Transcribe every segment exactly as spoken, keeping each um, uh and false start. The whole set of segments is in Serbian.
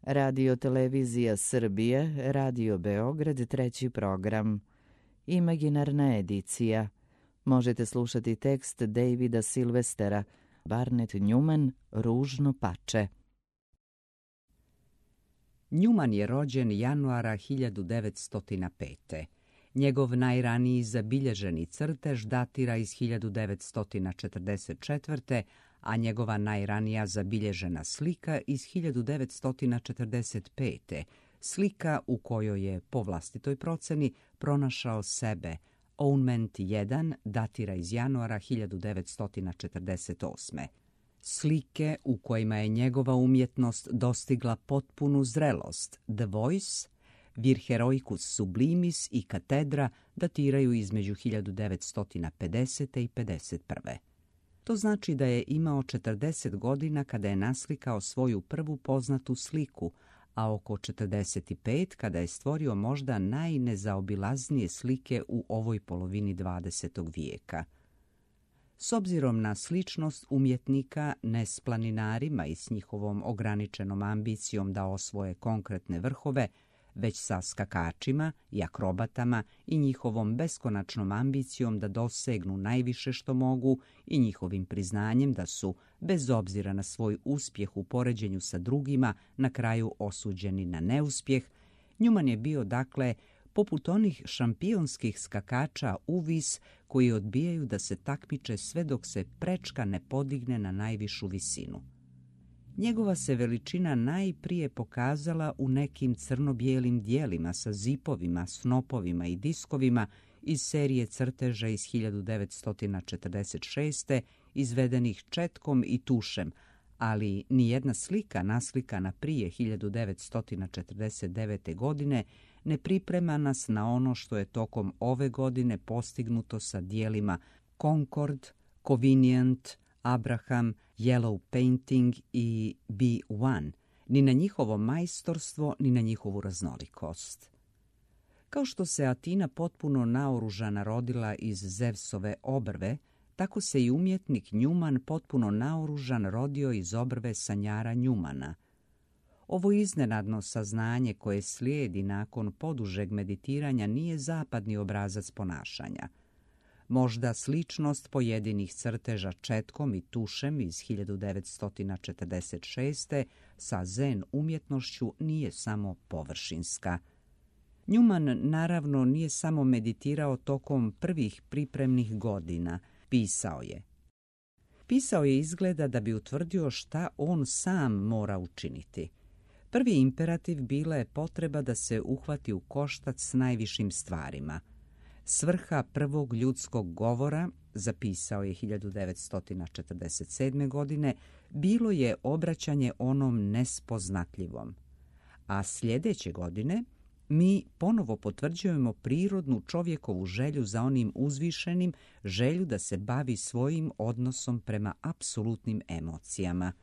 Radio Televizija Srbije, Radio Beograd, treći program. Imaginarna edicija. Možete slušati tekst Davida Silvestera, Barnett Newman, Ružno pače. Newman je rođen januara hiljadu devetsto pete. Njegov najraniji zabilježeni crtež datira iz hiljadu devetsto četrdeset četvrte. a njegova najranija zabilježena slika iz hiljadu devetsto četrdeset pete. Slika u kojoj je, po vlastitoj proceni, pronašao sebe. Ownment jedan datira iz januara hiljadu devetsto četrdeset osme. Slike u kojima je njegova umjetnost dostigla potpunu zrelost, The Voice, Vir Heroicus Sublimis i Katedra datiraju između hiljadu devetsto pedesete. i pedeset prve. To znači da je imao četrdeset godina kada je naslikao svoju prvu poznatu sliku, a oko četrdeset pet kada je stvorio možda najnezaobilaznije slike u ovoj polovini dvadesetog vijeka. S obzirom na sličnost umjetnika ne s planinarima i s njihovom ograničenom ambicijom da osvoje konkretne vrhove, već sa skakačima i akrobatama i njihovom beskonačnom ambicijom da dosegnu najviše što mogu i njihovim priznanjem da su, bez obzira na svoj uspjeh u poređenju sa drugima, na kraju osuđeni na neuspjeh, Newman je bio, dakle, poput onih šampionskih skakača uvis koji odbijaju da se takmiče sve dok se prečka ne podigne na najvišu visinu. Njegova se veličina najprije pokazala u nekim crno-bijelim dijelima sa zipovima, snopovima i diskovima iz serije crteža iz hiljadu devetsto četrdeset šeste. izvedenih četkom i tušem, ali nijedna slika naslikana prije hiljadu devetsto četrdeset devete. godine ne priprema nas na ono što je tokom ove godine postignuto sa dijelima Concord, Convenient, Abraham, Yellow Painting i B jedan, ni na njihovo majstorstvo, ni na njihovu raznolikost. Kao što se Atina potpuno naoružana rodila iz Zevsove obrve, tako se i umjetnik Newman potpuno naoružan rodio iz obrve sanjara Newmana. Ovo iznenadno saznanje koje slijedi nakon podužeg meditiranja nije zapadni obrazac ponašanja. Možda sličnost pojedinih crteža četkom i tušem iz hiljadu devetsto četrdeset šeste. sa zen umjetnošću nije samo površinska. Newman naravno nije samo meditirao tokom prvih pripremnih godina, pisao je. Pisao je izgleda da bi utvrdio šta on sam mora učiniti. Prvi imperativ bila je potreba da se uhvati u koštac s najvišim stvarima. Svrha prvog ljudskog govora, zapisao je hiljadu devetsto četrdeset sedme. godine, bilo je obraćanje onom nespoznatljivom. A sljedeće godine mi ponovo potvrđujemo prirodnu čovjekovu želju za onim uzvišenim, želju da se bavi svojim odnosom prema apsolutnim emocijama.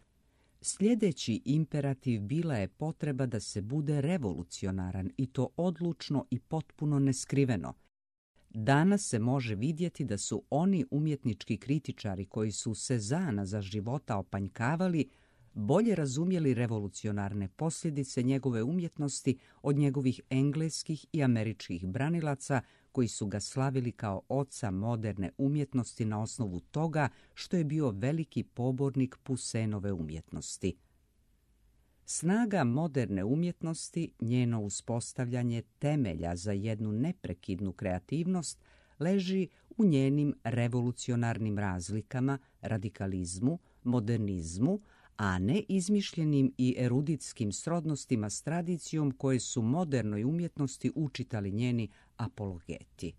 Sljedeći imperativ bila je potreba da se bude revolucionaran i to odlučno i potpuno neskriveno. Danas se može vidjeti da su oni umjetnički kritičari koji su Sezana za života opanjkavali bolje razumjeli revolucionarne posljedice njegove umjetnosti od njegovih engleskih i američkih branilaca koji su ga slavili kao oca moderne umjetnosti na osnovu toga što je bio veliki pobornik Poussinove umjetnosti. Snaga moderne umjetnosti, njeno uspostavljanje temelja za jednu neprekidnu kreativnost, leži u njenim revolucionarnim razlikama, radikalizmu, modernizmu, a ne izmišljenim i eruditskim srodnostima s tradicijom koje su modernoj umjetnosti učitali njeni apologeti.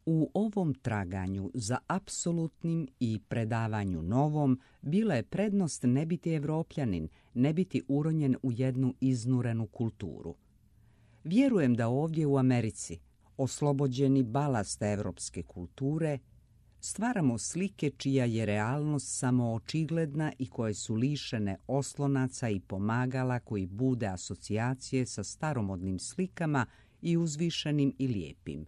U ovom traganju za apsolutnim i predavanju novom bila je prednost ne biti Evropljanin, ne biti uronjen u jednu iznurenu kulturu. Vjerujem da ovdje u Americi, oslobođeni balasta evropske kulture, stvaramo slike čija je realnost samo očigledna i koje su lišene oslonaca i pomagala koji bude asocijacije sa staromodnim slikama i uzvišenim i lijepim.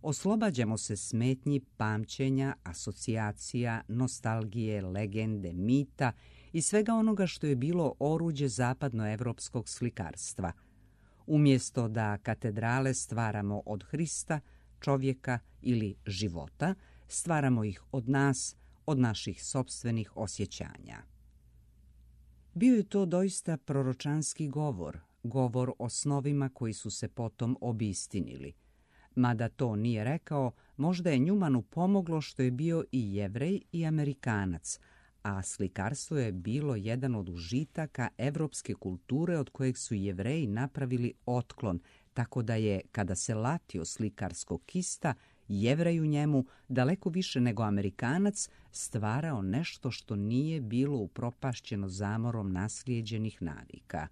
Oslobađamo se smetnji pamćenja, asocijacija, nostalgije, legende, mita i svega onoga što je bilo oruđe zapadnoevropskog slikarstva. Umjesto da katedrale stvaramo od Hrista, čovjeka ili života, stvaramo ih od nas, od naših sopstvenih osjećanja. Bio je to doista proročanski govor, govor o snovima koji su se potom obistinili. Mada to nije rekao, možda je Njumanu pomoglo što je bio i Jevrej i Amerikanac, a slikarstvo je bilo jedan od užitaka evropske kulture od kojeg su Jevreji napravili otklon, tako da je, kada se latio slikarskog kista, Jevrej u njemu, daleko više nego Amerikanac, stvarao nešto što nije bilo upropašćeno zamorom naslijeđenih navika.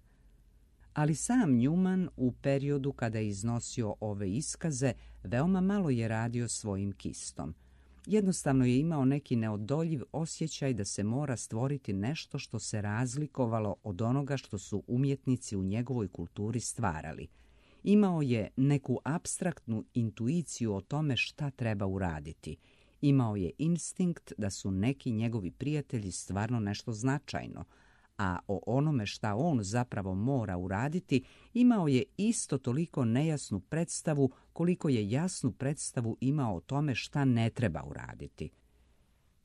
Ali sam Njuman u periodu kada je iznosio ove iskaze veoma malo je radio svojim kistom. Jednostavno je imao neki neodoljiv osjećaj da se mora stvoriti nešto što se razlikovalo od onoga što su umjetnici u njegovoj kulturi stvarali. Imao je neku apstraktnu intuiciju o tome šta treba uraditi. Imao je instinkt da su neki njegovi prijatelji stvarno nešto značajno, a o onome šta on zapravo mora uraditi imao je isto toliko nejasnu predstavu koliko je jasnu predstavu imao o tome šta ne treba uraditi.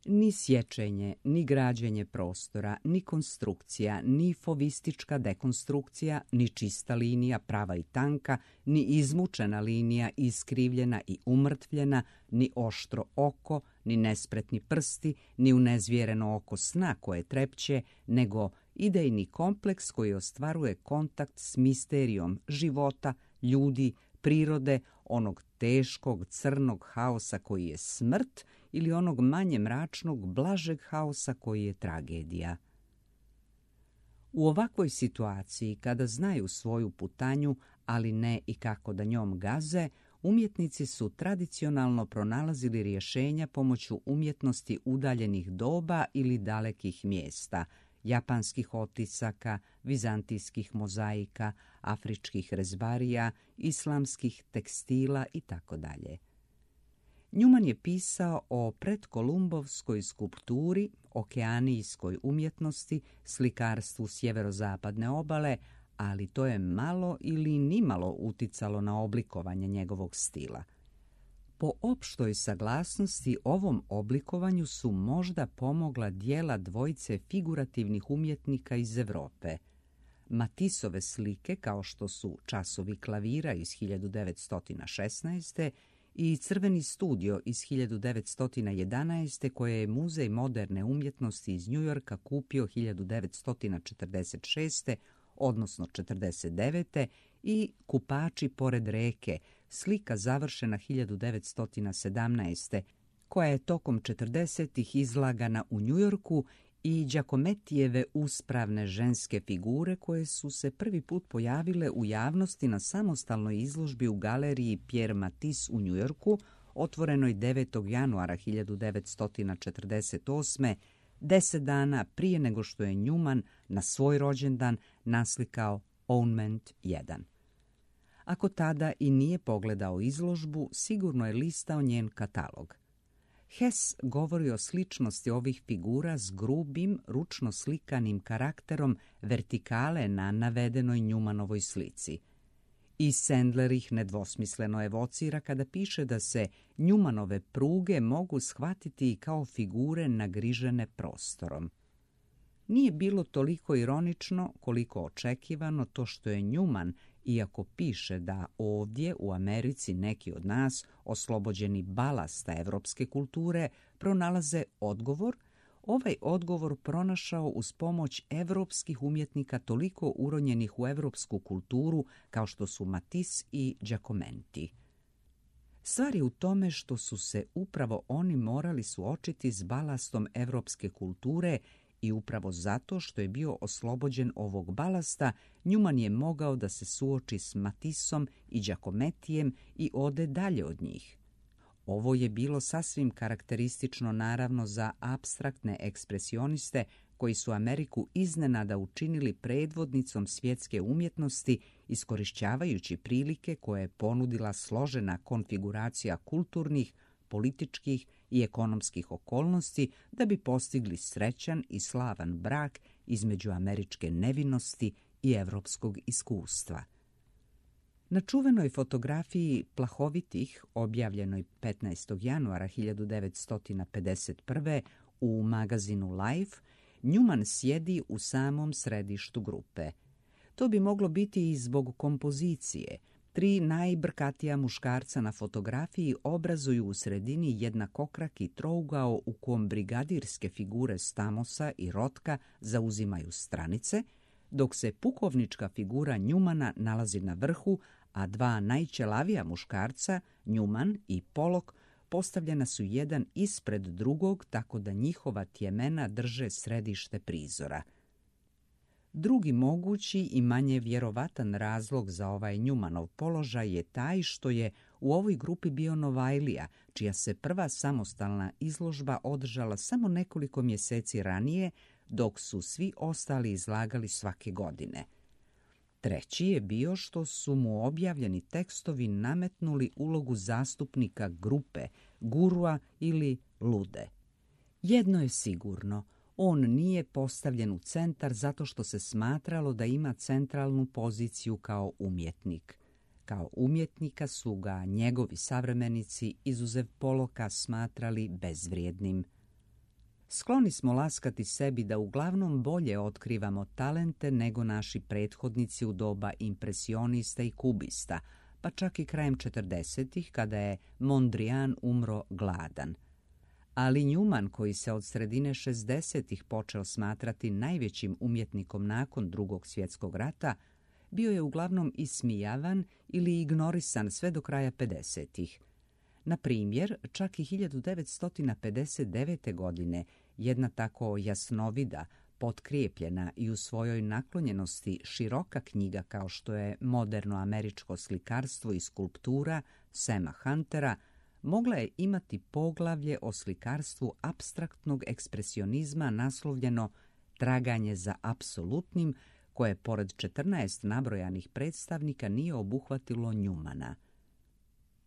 Ni sječenje, ni građenje prostora, ni konstrukcija, ni fovistička dekonstrukcija, ni čista linija, prava i tanka, ni izmučena linija, iskrivljena i umrtvljena, ni oštro oko, ni nespretni prsti, ni unezvjereno oko sna koje trepće, nego idejni kompleks koji ostvaruje kontakt s misterijom života, ljudi, prirode, onog teškog crnog haosa koji je smrt ili onog manje mračnog, blažeg haosa koji je tragedija. U ovakvoj situaciji, kada znaju svoju putanju, ali ne i kako da njom gaze, umjetnici su tradicionalno pronalazili rješenja pomoću umjetnosti udaljenih doba ili dalekih mjesta, japanskih otisaka, vizantijskih mozaika, afričkih rezbarija, islamskih tekstila itd. Njuman je pisao o predkolumbovskoj skulpturi, okeanijskoj umjetnosti, slikarstvu sjeverozapadne obale, ali to je malo ili nimalo uticalo na oblikovanje njegovog stila. Po opštoj saglasnosti ovom oblikovanju su možda pomogla dijela dvojice figurativnih umjetnika iz Europe. Matisove slike, kao što su Časovi klavira iz hiljadu devetsto šesnaeste. i Crveni studio iz hiljadu devetsto jedanaeste. koje je Muzej moderne umjetnosti iz Njujorka kupio hiljadu devetsto četrdeset šeste. odnosno četrdeset devete. i Kupači pored reke, slika završena hiljadu devetsto sedamnaeste. koja je tokom četrdesetih izlagana u Njujorku, i Giacomettijeve uspravne ženske figure koje su se prvi put pojavile u javnosti na samostalnoj izložbi u galeriji Pierre Matisse u Njujorku, otvorenoj devetog januara hiljadu devetsto četrdeset osme. deset dana prije nego što je Njuman na svoj rođendan naslikao Onement jedan. Ako tada i nije pogledao izložbu, sigurno je listao njen katalog. Hess govori o sličnosti ovih figura s grubim, ručno slikanim karakterom vertikale na navedenoj Njumanovoj slici. I Sandler ih nedvosmisleno evocira kada piše da se Njumanove pruge mogu shvatiti i kao figure nagrižene prostorom. Nije bilo toliko ironično koliko očekivano to što je Njuman, iako piše da ovdje u Americi neki od nas, oslobođeni balasta evropske kulture, pronalaze odgovor, ovaj odgovor pronašao uz pomoć evropskih umjetnika toliko uronjenih u evropsku kulturu kao što su Matisse i Giacometti. Stvar je u tome što su se upravo oni morali suočiti s balastom evropske kulture i upravo zato što je bio oslobođen ovog balasta, Njuman je mogao da se suoči s Matissom i Giacometijem i ode dalje od njih. Ovo je bilo sasvim karakteristično naravno za apstraktne ekspresioniste koji su Ameriku iznenada učinili predvodnicom svjetske umjetnosti, iskorišćavajući prilike koje je ponudila složena konfiguracija kulturnih, političkih i ekonomskih okolnosti da bi postigli srećan i slavan brak između američke nevinosti i evropskog iskustva. Na čuvenoj fotografiji Plahovitih, objavljenoj petnaestog januara hiljadu devetsto pedeset prve u magazinu Life, Newman sjedi u samom središtu grupe. To bi moglo biti i zbog kompozicije. Tri najbrkatija muškarca na fotografiji obrazuju u sredini jednakokraki trougao u kom brigadirske figure Stamosa i Rotka zauzimaju stranice, dok se pukovnička figura Newmana nalazi na vrhu, a dva najćelavija muškarca, Newman i Pollock, postavljena su jedan ispred drugog tako da njihova tjemena drže središte prizora. Drugi mogući i manje vjerovatan razlog za ovaj Newmanov položaj je taj što je u ovoj grupi bio Novajlija, čija se prva samostalna izložba održala samo nekoliko mjeseci ranije, dok su svi ostali izlagali svake godine. Treći je bio što su mu objavljeni tekstovi nametnuli ulogu zastupnika grupe, gurua ili lude. Jedno je sigurno, on nije postavljen u centar zato što se smatralo da ima centralnu poziciju kao umjetnik. Kao umjetnika su ga njegovi savremenici, izuzev Pollocka, smatrali bezvrijednim. Skloni smo laskati sebi da uglavnom bolje otkrivamo talente nego naši prethodnici u doba impresionista i kubista, pa čak i krajem četrdesetih kada je Mondrian umro gladan. Ali Newman, koji se od sredine šezdesetih počeo smatrati najvećim umjetnikom nakon Drugog svjetskog rata, bio je uglavnom ismijavan ili ignorisan sve do kraja pedesetih. Na primjer, čak i hiljadu devetsto pedeset devete. godine jedna tako jasnovida, potkrijepljena i u svojoj naklonjenosti široka knjiga kao što je Moderno američko slikarstvo i skulptura Sama Huntera mogla je imati poglavlje o slikarstvu apstraktnog ekspresionizma naslovljeno Traganje za apsolutnim, koje pored četrnaest nabrojanih predstavnika nije obuhvatilo Newmana.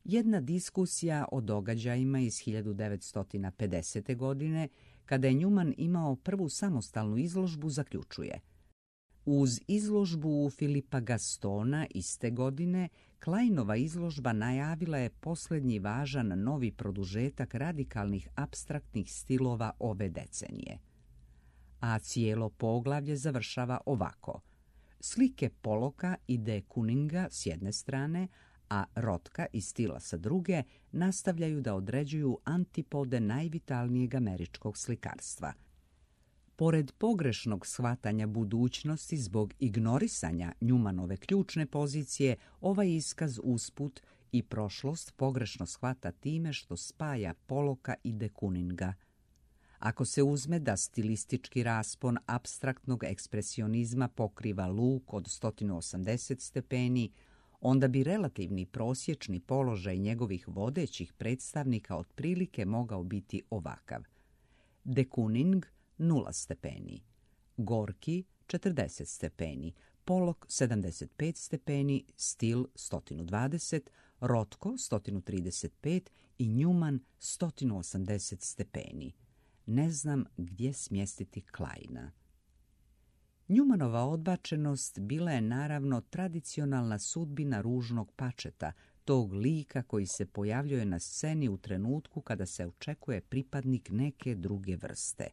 Jedna diskusija o događajima iz hiljadu devetsto pedesete. godine, kada je Newman imao prvu samostalnu izložbu, zaključuje: uz izložbu Filipa Gastona iste godine, Kleinova izložba najavila je posljednji važan novi produžetak radikalnih apstraktnih stilova ove decenije. A cijelo poglavlje završava ovako: slike Pollocka i de Kooninga s jedne strane, a Rotka i Stila sa druge nastavljaju da određuju antipode najvitalnijeg američkog slikarstva. Pored pogrešnog shvatanja budućnosti zbog ignorisanja Newmanove ključne pozicije, ovaj iskaz usput i prošlost pogrešno shvata time što spaja Pollocka i de Kooninga. Ako se uzme da stilistički raspon apstraktnog ekspresionizma pokriva luk od sto osamdeset stepeni, onda bi relativni prosječni položaj njegovih vodećih predstavnika otprilike mogao biti ovakav: de Kooning nula stepeni, Gorki četrdeset stepeni, Pollock sedamdeset pet stepeni, Stil sto dvadeset, Rotko sto trideset pet i Newman sto osamdeset stepeni. Ne znam gdje smjestiti Kleina. Newmanova odbačenost bila je naravno tradicionalna sudbina ružnog pačeta, tog lika koji se pojavljuje na sceni u trenutku kada se očekuje pripadnik neke druge vrste.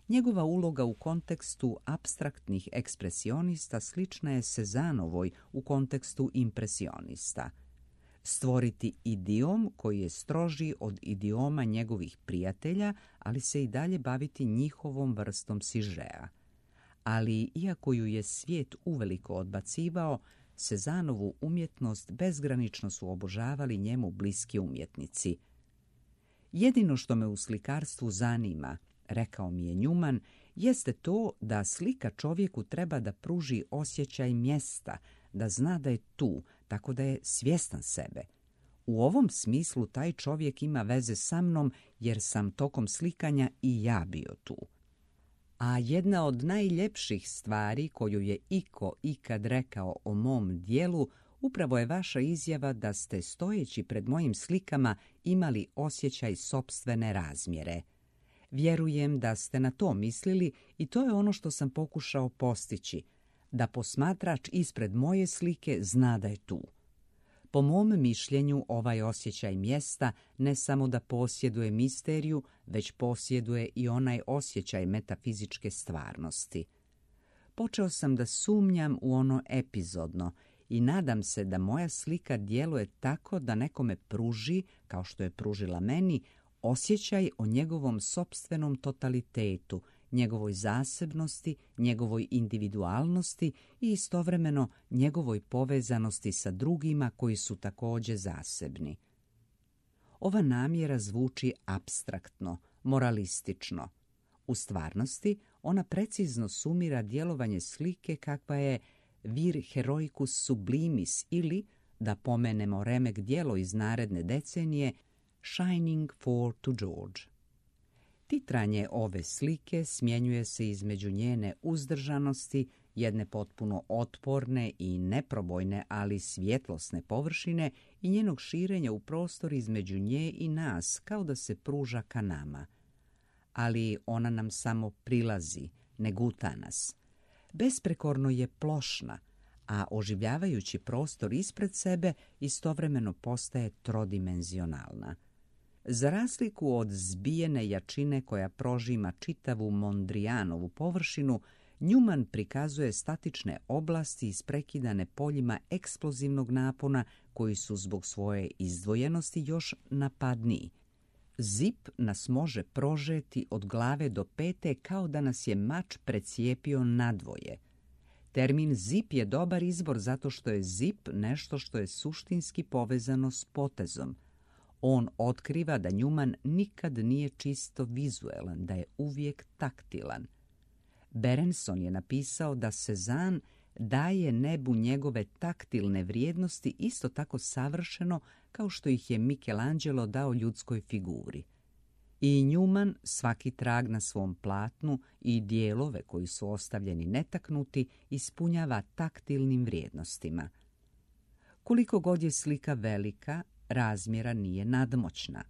Njegova uloga u kontekstu apstraktnih ekspresionista slična je Cezanovoj u kontekstu impresionista. Stvoriti idiom koji je stroži od idioma njegovih prijatelja, ali se i dalje baviti njihovom vrstom sižea. Ali, iako ju je svijet uveliko odbacivao, Cezanovu umjetnost bezgranično su obožavali njemu bliski umjetnici. Jedino što me u slikarstvu zanima, rekao mi je Newman, jeste to da slika čovjeku treba da pruži osjećaj mjesta, da zna da je tu, tako da je svjestan sebe. U ovom smislu taj čovjek ima veze sa mnom jer sam tokom slikanja i ja bio tu. A jedna od najljepših stvari koju je iko ikad rekao o mom dijelu upravo je vaša izjava da ste stojeći pred mojim slikama imali osjećaj sopstvene razmjere. Vjerujem da ste na to mislili i to je ono što sam pokušao postići, da posmatrač ispred moje slike zna da je tu. Po mom mišljenju, ovaj osjećaj mjesta ne samo da posjeduje misteriju, već posjeduje i onaj osjećaj metafizičke stvarnosti. Počeo sam da sumnjam u ono epizodno i nadam se da moja slika djeluje tako da nekome pruži, kao što je pružila meni, osjećaj o njegovom sopstvenom totalitetu, njegovoj zasebnosti, njegovoj individualnosti i istovremeno njegovoj povezanosti sa drugima koji su također zasebni. Ova namjera zvuči apstraktno, moralistično. U stvarnosti ona precizno sumira djelovanje slike kakva je vir heroicus sublimis ili, da pomenemo remek djelo iz naredne decenije, Shining for to George. Titranje ove slike smjenjuje se između njene uzdržanosti, jedne potpuno otporne i neprobojne, ali svjetlosne površine i njenog širenja u prostor između nje i nas, kao da se pruža ka nama. Ali ona nam samo prilazi, ne guta nas. Besprekorno je plošna, a oživljavajući prostor ispred sebe istovremeno postaje trodimenzionalna. Za razliku od zbijene jačine koja prožima čitavu Mondrianovu površinu, Newman prikazuje statične oblasti isprekidane poljima eksplozivnog napona koji su zbog svoje izdvojenosti još napadniji. Zip nas može prožeti od glave do pete kao da nas je mač precijepio nadvoje. Termin zip je dobar izbor zato što je zip nešto što je suštinski povezano s potezom. On otkriva da Newman nikad nije čisto vizuelan, da je uvijek taktilan. Berenson je napisao da Cézanne daje nebu njegove taktilne vrijednosti isto tako savršeno kao što ih je Michelangelo dao ljudskoj figuri. I Newman svaki trag na svom platnu i dijelove koji su ostavljeni netaknuti ispunjava taktilnim vrijednostima. Koliko god je slika velika, razmjera nije nadmoćna.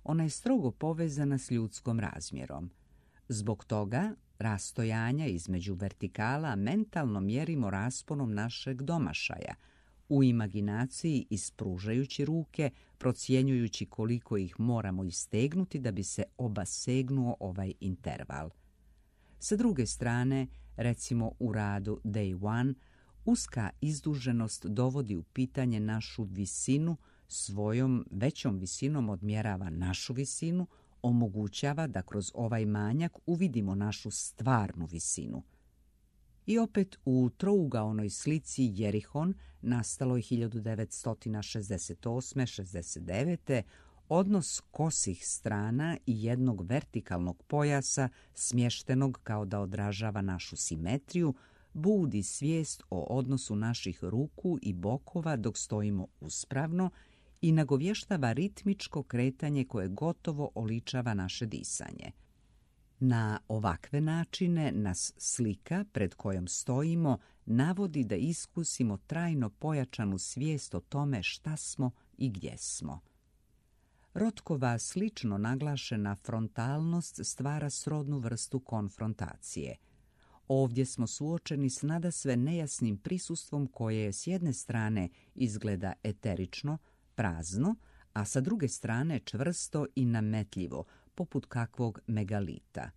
Ona je strogo povezana s ljudskom razmjerom. Zbog toga rastojanja između vertikala mentalno mjerimo rasponom našeg domašaja, u imaginaciji ispružajući ruke, procjenjujući koliko ih moramo istegnuti da bi se obasegnuo ovaj interval. Sa druge strane, recimo u radu Day One, uska izduženost dovodi u pitanje našu visinu, svojom većom visinom odmjerava našu visinu, omogućava da kroz ovaj manjak uvidimo našu stvarnu visinu. I opet u trougaonoj slici Jerihon, nastaloj hiljadu devetsto šezdeset osme šezdeset devete odnos kosih strana i jednog vertikalnog pojasa, smještenog kao da odražava našu simetriju, budi svijest o odnosu naših ruku i bokova dok stojimo uspravno i nagovještava ritmičko kretanje koje gotovo oličava naše disanje. Na ovakve načine nas slika pred kojom stojimo navodi da iskusimo trajno pojačanu svijest o tome šta smo i gdje smo. Rotkova slično naglašena frontalnost stvara srodnu vrstu konfrontacije. Ovdje smo suočeni s nadasve nejasnim prisustvom koje s jedne strane izgleda eterično, prazno, a sa druge strane čvrsto i nametljivo, poput kakvog megalita.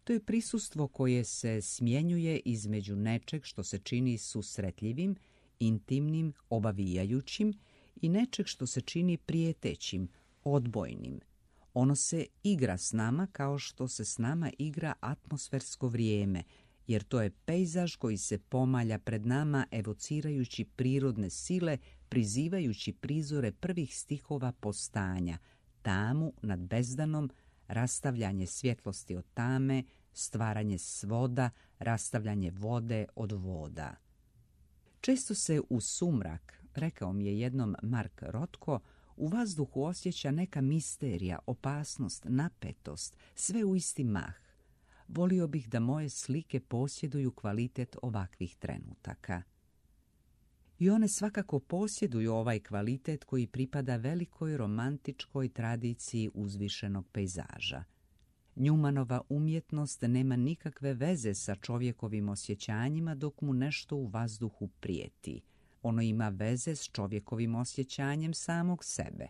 To je prisustvo koje se smjenjuje između nečeg što se čini susretljivim, intimnim, obavijajućim i nečeg što se čini prijetećim, odbojnim. Ono se igra s nama kao što se s nama igra atmosfersko vrijeme, jer to je pejzaž koji se pomalja pred nama evocirajući prirodne sile, prizivajući prizore prvih stihova postanja, tamu nad bezdanom, rastavljanje svjetlosti od tame, stvaranje svoda, rastavljanje vode od voda. Često se u sumrak, rekao mi je jednom Mark Rothko, u vazduhu osjeća neka misterija, opasnost, napetost, sve u isti mah. Volio bih da moje slike posjeduju kvalitet ovakvih trenutaka. I one svakako posjeduju ovaj kvalitet koji pripada velikoj romantičkoj tradiciji uzvišenog pejzaža. Newmanova umjetnost nema nikakve veze sa čovjekovim osjećanjima dok mu nešto u vazduhu prijeti. Ono ima veze s čovjekovim osjećanjem samog sebe.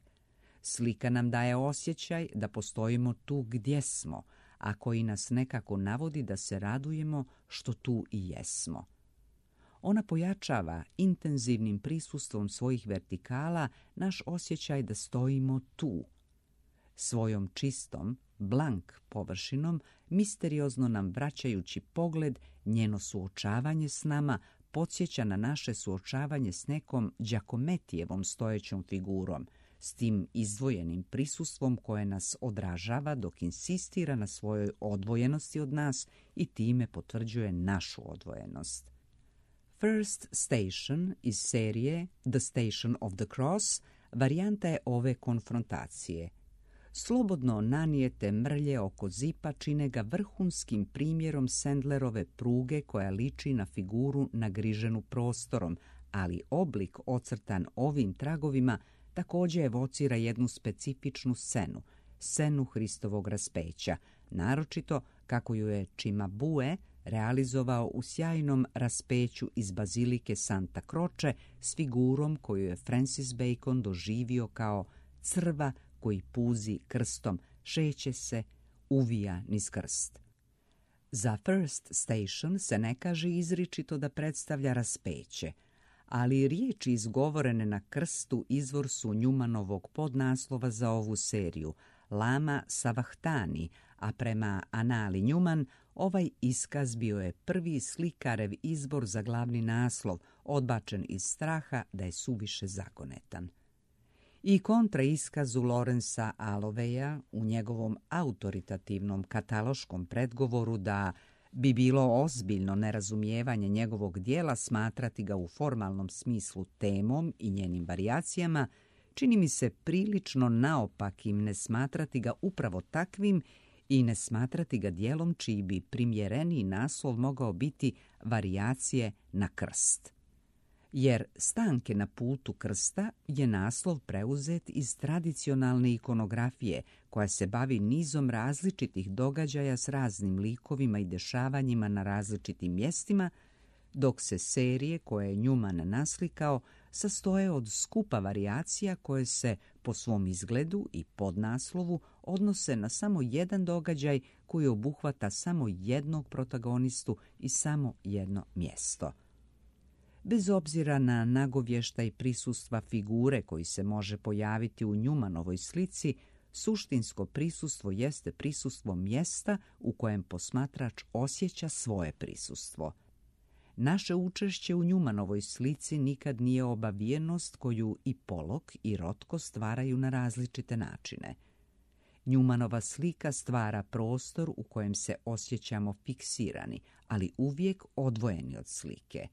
Slika nam daje osjećaj da postojimo tu gdje smo, a koji nas nekako navodi da se radujemo što tu i jesmo. Ona pojačava intenzivnim prisustvom svojih vertikala naš osjećaj da stojimo tu. Svojom čistom, blank površinom, misteriozno nam vraćajući pogled, njeno suočavanje s nama podsjeća na naše suočavanje s nekom Giacometijevom stojećom figurom, s tim izdvojenim prisustvom koje nas odražava dok insistira na svojoj odvojenosti od nas i time potvrđuje našu odvojenost. First Station iz serije The Station of the Cross varijanta je ove konfrontacije. Slobodno nanijete mrlje oko zipa čine ga vrhunskim primjerom Sandlerove pruge koja liči na figuru nagriženu prostorom, ali oblik ocrtan ovim tragovima također evocira jednu specifičnu scenu, scenu Hristovog raspeća, naročito kako ju je Cimabue realizovao u sjajnom raspeću iz bazilike Santa Croce s figurom koju je Francis Bacon doživio kao crva koji puzi krstom, šeće se, uvija niz krst. Za First Station se ne kaže izričito da predstavlja raspeće, ali riječi izgovorene na krstu izvor su Newmanovog podnaslova za ovu seriju, Lama Savahtani, a prema Anali Newman ovaj iskaz bio je prvi slikarev izbor za glavni naslov, odbačen iz straha da je suviše zagonetan. I kontra iskazu Lorenza Alloveya u njegovom autoritativnom kataloškom predgovoru da bi bilo ozbiljno nerazumijevanje njegovog dijela smatrati ga u formalnom smislu temom i njenim varijacijama, čini mi se prilično naopakim ne smatrati ga upravo takvim i ne smatrati ga dijelom čiji bi primjereniji naslov mogao biti varijacije na krst. Jer Stanke na putu krsta je naslov preuzet iz tradicionalne ikonografije koja se bavi nizom različitih događaja s raznim likovima i dešavanjima na različitim mjestima, dok se serije koje je Newman naslikao sastoje od skupa varijacija koje se po svom izgledu i podnaslovu odnose na samo jedan događaj koji obuhvata samo jednog protagonistu i samo jedno mjesto. Bez obzira na nagovještaj prisustva figure koji se može pojaviti u Newmanovoj slici, suštinsko prisustvo jeste prisustvo mjesta u kojem posmatrač osjeća svoje prisustvo. Naše učešće u Newmanovoj slici nikad nije obavijenost koju i Pollock i Rothko stvaraju na različite načine. Newmanova slika stvara prostor u kojem se osjećamo fiksirani, ali uvijek odvojeni od slike.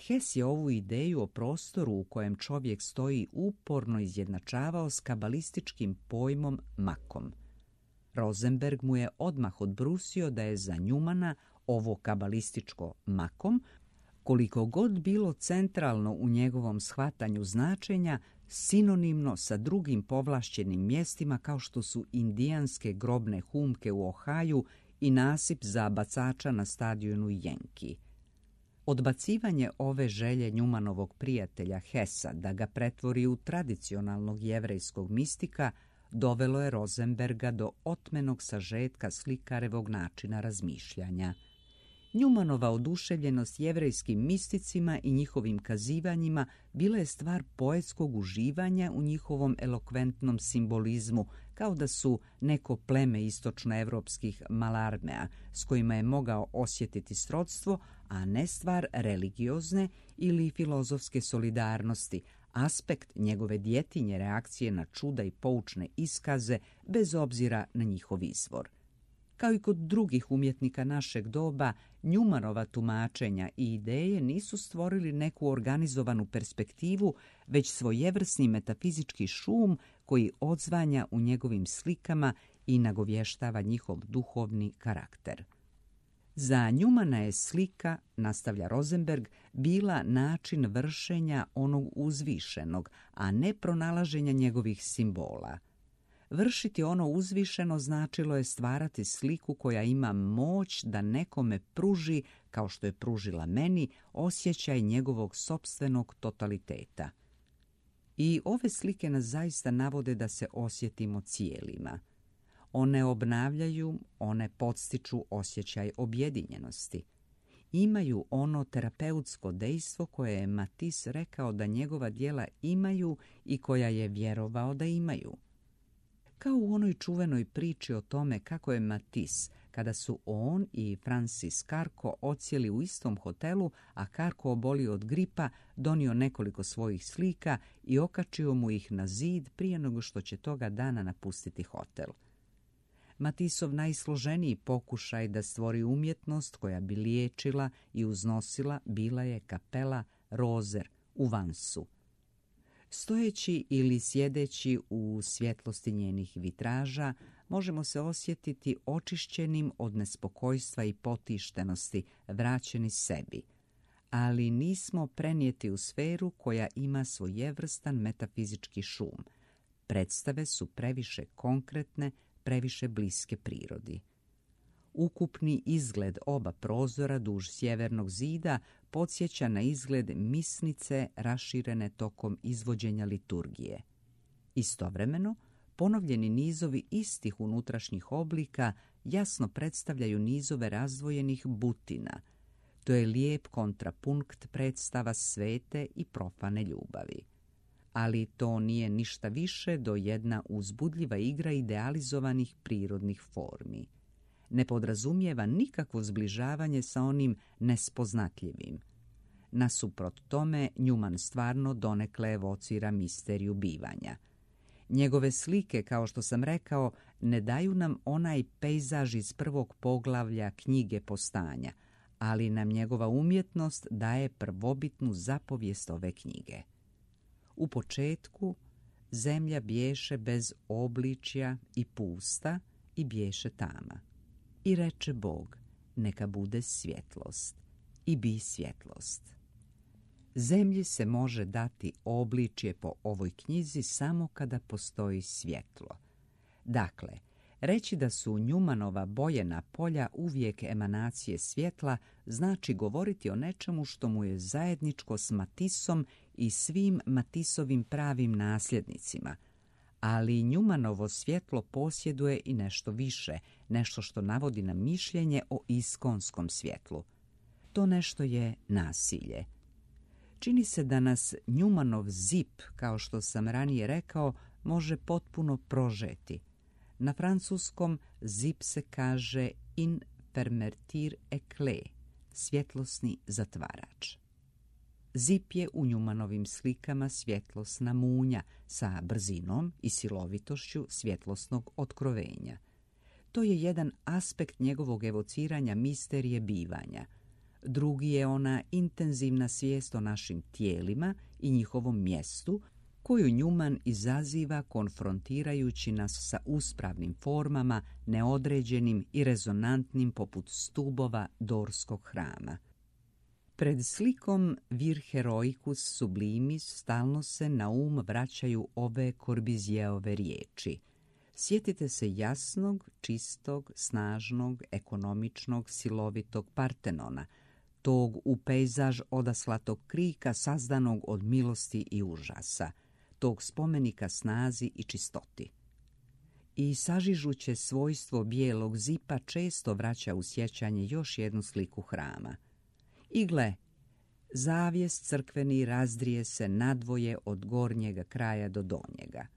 Hess je ovu ideju o prostoru u kojem čovjek stoji uporno izjednačavao s kabalističkim pojmom makom. Rosenberg mu je odmah odbrusio da je za Newmana ovo kabalističko makom, koliko god bilo centralno u njegovom shvatanju značenja, sinonimno sa drugim povlašćenim mjestima kao što su indijanske grobne humke u Ohaju i nasip za bacača na stadionu Yankee. Odbacivanje ove želje Newmanovog prijatelja Hessa da ga pretvori u tradicionalnog jevrejskog mistika dovelo je Rosenberga do otmenog sažetka slikarevog načina razmišljanja. Newmanova oduševljenost jevrejskim misticima i njihovim kazivanjima bila je stvar poetskog uživanja u njihovom elokventnom simbolizmu, kao da su neko pleme istočnoevropskih malarmea s kojima je mogao osjetiti srodstvo, a ne stvar religiozne ili filozofske solidarnosti, aspekt njegove djetinje reakcije na čuda i poučne iskaze bez obzira na njihov izvor. Kao i kod drugih umjetnika našeg doba, Newmanova tumačenja i ideje nisu stvorili neku organizovanu perspektivu, već svojevrsni metafizički šum koji odzvanja u njegovim slikama i nagovještava njihov duhovni karakter. Za Newmana je slika, nastavlja Rosenberg, bila način vršenja onog uzvišenog, a ne pronalaženja njegovih simbola. Vršiti ono uzvišeno značilo je stvarati sliku koja ima moć da nekome pruži, kao što je pružila meni, osjećaj njegovog sopstvenog totaliteta. I ove slike nas zaista navode da se osjetimo cijelima. One obnavljaju, one podstiču osjećaj objedinjenosti. Imaju ono terapeutsko dejstvo koje je Matisse rekao da njegova djela imaju i koja je vjerovao da imaju. Kao u onoj čuvenoj priči o tome kako je Matisse, kada su on i Francis Carco odsjeli u istom hotelu, a Carco obolio od gripa, donio nekoliko svojih slika i okačio mu ih na zid prije nego što će toga dana napustiti hotel. Matisov najsloženiji pokušaj da stvori umjetnost koja bi liječila i uznosila bila je kapela Rozer u Vansu. Stojeći ili sjedeći u svjetlosti njenih vitraža, možemo se osjetiti očišćenim od nespokojstva i potištenosti, vraćeni sebi, ali nismo prenijeti u sferu koja ima svojevrstan metafizički šum. Predstave su previše konkretne, previše bliske prirodi. Ukupni izgled oba prozora duž sjevernog zida podsjeća na izgled misnice raširene tokom izvođenja liturgije. Istovremeno, ponovljeni nizovi istih unutrašnjih oblika jasno predstavljaju nizove razdvojenih butina. To je lijep kontrapunkt predstava svete i profane ljubavi. Ali to nije ništa više do jedna uzbudljiva igra idealizovanih prirodnih formi. Ne podrazumijeva nikakvo zbližavanje sa onim nespoznatljivim. Nasuprot tome, Newman stvarno donekle evocira misteriju bivanja. Njegove slike, kao što sam rekao, ne daju nam onaj pejzaž iz prvog poglavlja knjige Postanja, ali nam njegova umjetnost daje prvobitnu zapovijest ove knjige. U početku zemlja biješe bez obličja i pusta i biješe tama. I reče Bog, neka bude svjetlost, i bi svjetlost. Zemlji se može dati obličje po ovoj knjizi samo kada postoji svjetlo. Dakle, reći da su Newmanova bojena polja uvijek emanacije svjetla znači govoriti o nečemu što mu je zajedničko s Matissom i svim Matissovim pravim nasljednicima. Ali Newmanovo svjetlo posjeduje i nešto više, nešto što navodi na mišljenje o iskonskom svjetlu. To nešto je nasilje. Čini se da nas Newmanov zip, kao što sam ranije rekao, može potpuno prožeti. Na francuskom zip se kaže in fermetir éclat, svjetlosni zatvarač. Zip je u Newmanovim slikama svjetlosna munja sa brzinom i silovitošću svjetlosnog otkrovenja. To je jedan aspekt njegovog evociranja misterije bivanja. Drugi je ona intenzivna svijest o našim tijelima i njihovom mjestu, koju Newman izaziva konfrontirajući nas sa uspravnim formama, neodređenim i rezonantnim poput stubova dorskog hrama. Pred slikom Vir heroicus sublimis stalno se na um vraćaju ove Corbusijerove riječi. Sjetite se jasnog, čistog, snažnog, ekonomičnog, silovitog Partenona, tog u pejzaž odaslatog krika sazdanog od milosti i užasa, tog spomenika snazi i čistoti. I sažižuće svojstvo bijelog zipa često vraća u sjećanje još jednu sliku hrama. I gle, zavjes crkveni razdrije se nadvoje od gornjega kraja do donjega.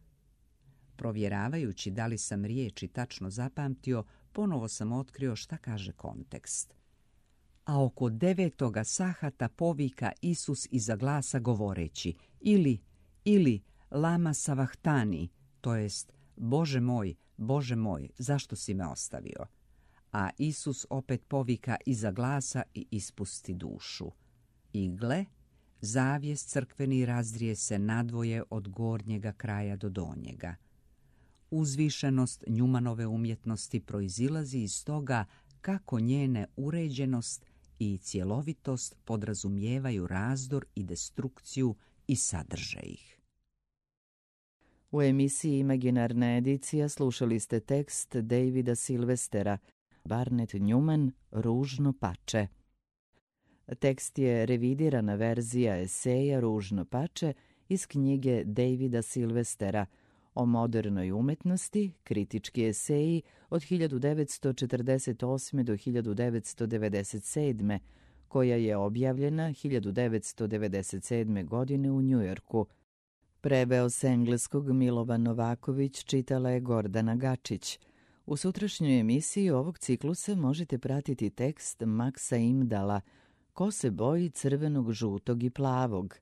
Provjeravajući da li sam riječi tačno zapamtio, ponovo sam otkrio šta kaže kontekst. A oko devetoga sahata povika Isus iza glasa govoreći ili, ili, lama savahtani, to jest, Bože moj, Bože moj, zašto si me ostavio? A Isus opet povika iza glasa i ispusti dušu. I gle, zavjes crkveni razdrije se nadvoje od gornjega kraja do donjega. Uzvišenost Newmanove umjetnosti proizilazi iz toga kako njene uređenost i cjelovitost podrazumijevaju razdor i destrukciju i sadrže ih. U emisiji Imaginarna edicija slušali ste tekst Davida Silvestera, Barnett Newman, Ružno pače. Tekst je revidirana verzija eseja Ružno pače iz knjige Davida Silvestera o modernoj umetnosti, kritički eseji od hiljadu devetsto četrdeset osme do hiljadu devetsto devedeset sedme, koja je objavljena hiljadu devetsto devedeset sedme. godine u Njujorku. Preveo s engleskog Milovan Novaković, čitala je Gordana Gačić. U sutrašnjoj emisiji ovog ciklusa možete pratiti tekst Maksa Imdala Ko se boji crvenog, žutog i plavog,